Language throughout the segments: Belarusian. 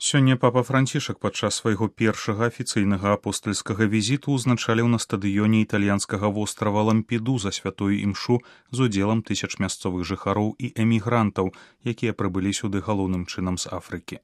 Сёння папа Францішак падчас свайго першага афіцыйнага апостальскага візіту ўзначаліў на стадыёне італьянскага вострава Лампедуза святую імшу з удзелам тысяч мясцовых жыхароў і эмігрантаў, якія прыбылі сюды галоўным чынам з Афрыкі.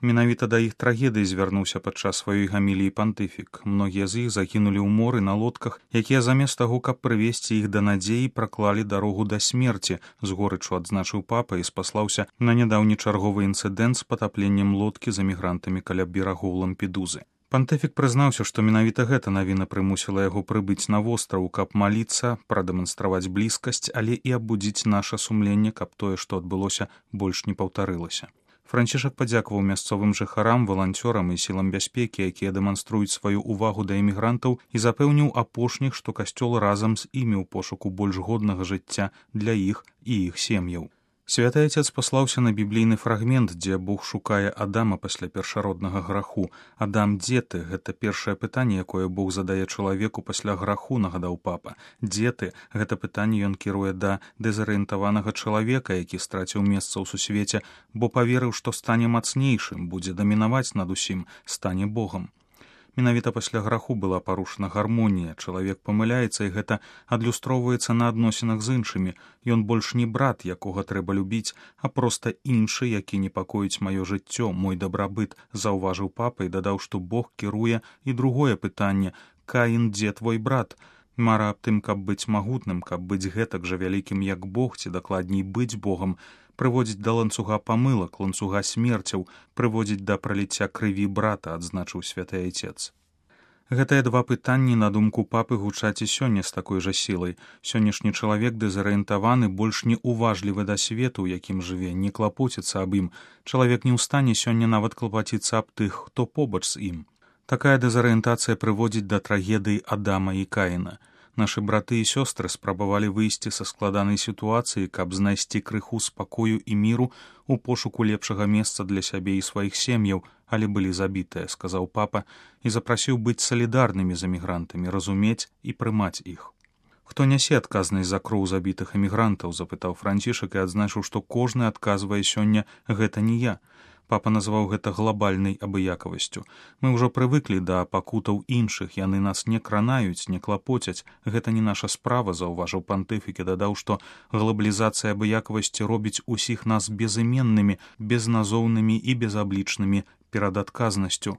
Менавіта да іх трагедыі звярнуўся падчас сваёй гаміліі пантыфік. Многія з іх загінулі ў моры на лодках, якія замест таго, каб прывесці іх да надзеі, праклалі дарогу да смерці, з горычу адзначыў папа і спаслаўся на нядаўні чарговы інцыдэнт з патапленнем лодкі з эмігрантамі каля берагоў Лампедузы. Пантыфік прызнаўся, што менавіта гэта навіна прымусіла яго прыбыць на востраў, каб маліцца, прадэманстраваць блізкасць, але і абудзіць наша сумленне, каб тое, што адбылося, больш не паўтарылася. Францішак падзякаваў мясцовым жыхарам, валанцёрам і сілам бяспекі, якія дэманструюць сваю ўвагу да эмігрантаў, і запэўніў апошніх, што касцёл разам з імі ў пошуку больш годнага жыцця для іх і іх сем'яў. Святы Отец паслаўся на біблійны фрагмент, дзе Бог шукае Адама пасля першароднага граху. «Адам, дзе ты?» — гэта першае пытанне, якое Бог задае чалавеку пасля граху, нагадаў папа. «Дзе ты?» — гэта пытанне ён кіруе да дэзарыентаванага чалавека, які страціў месца ў сусвеце, бо паверыў, што стане мацнейшым, будзе дамінаваць над усім, стане Богам. Менавіта пасля граху была парушана гармонія, чалавек памыляецца, і гэта адлюстроўваецца на адносінах з іншымі. Ён больш не брат, якога трэба любіць, а проста іншы, які непакоіць маё жыццё, мой дабрабыт, заўважыў папа і дадаў, што Бог кіруе і другое пытанне: «Каін, дзе твой брат?» Мара аб тым, каб быць магутным, каб быць гэтак жа вялікім, як Бог, ці дакладней быць Богам, прыводзіць да ланцуга памылак, ланцуга смерцяў, прыводзіць да праліцця крыві брата, адзначыў святы Отец. Гэтыя два пытанні, на думку папы, гучаць і сёння з такой жа сілай. Сённяшні чалавек дэзарыентаваны, больш не уважлівы да свету, у якім жыве, не клапоціцца аб ім. Чалавек не ў стане сёння нават клапаціцца аб тых, хто побач з ім. Такая дэзарыентацыя прыводзіць да трагедыі Адама і Каіна. Нашы браты і сёстры спрабавалі выйсці са складанай сітуацыі, каб знайсці крыху спакою і міру у пошуку лепшага месца для сябе і сваіх сем'яў, але былі забітыя, сказаў папа, і запрасіў быць салідарнымі з эмігрантамі, разумець і прымаць іх. «Хто нясе адказнасць за кроў забітых эмігрантаў?» — запытаў Францішак і адзначыў, што кожны адказвае сёння: «Гэта не я». Папа назваў гэта глобальнай абыякавасцю. «Мы ўжо прывыклі да пакутаў іншых, яны нас не кранаюць, не клапоцяць. Гэта не наша справа», — заўважыў пантыфік і дадаў, што глабалізацыя абыякавасці робіць усіх нас безыменнымі, безназоўнымі і безаблічнымі перад адказнасцю.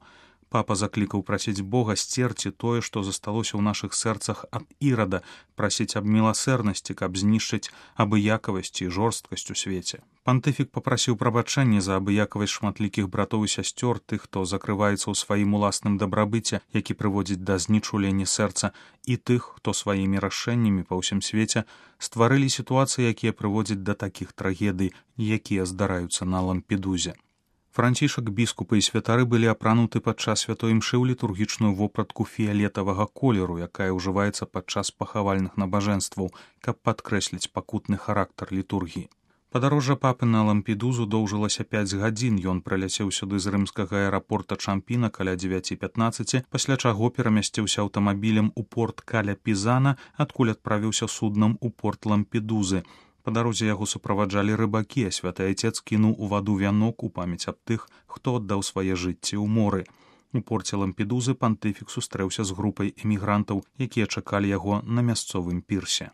Папа заклікаў прасіць Бога сцерці тое, што засталося ў нашых сэрцах ад ірада, прасіць аб міласэрнасці, каб знішчыць абыякавасць і жорсткасць у свеце. Пантыфік папрасіў прабачэння за абыякавасць шматлікіх братоў і сясцёр, тых, хто закрываецца ў сваім уласным дабрабыце, які прыводзіць да знічулення сэрца, і тых, хто сваімі рашэннямі па ўсім свеце стварылі сітуацыі, якія прыводзяць да такіх трагедый, якія здараюцца на Лампедузе. Францішак, біскупы і святары былі апрануты падчас святой імшы ў літургічную вопратку фіялетавага колеру, якая ўжываецца падчас пахавальных набажэнстваў, каб падкрэсліць пакутны характар літургіі. Падарожжа папы на Лампедузу доўжылася 5 гадзін. Ён прыляцеў сюды з рымскага аэрапорта Чампіна каля 9:15, пасля чаго перамясціўся аўтамабілем у порт каля Пізана, адкуль адправіўся суднам у порт Лампедузы. Па дарозе яго суправаджалі рыбакі, а святы Отец кінуў у ваду вянок у памяць аб тых, хто аддаў свае жыцці ў моры. У порце Лампедузы пантыфік сустрэўся з групай эмігрантаў, якія чакалі яго на мясцовым пірсе.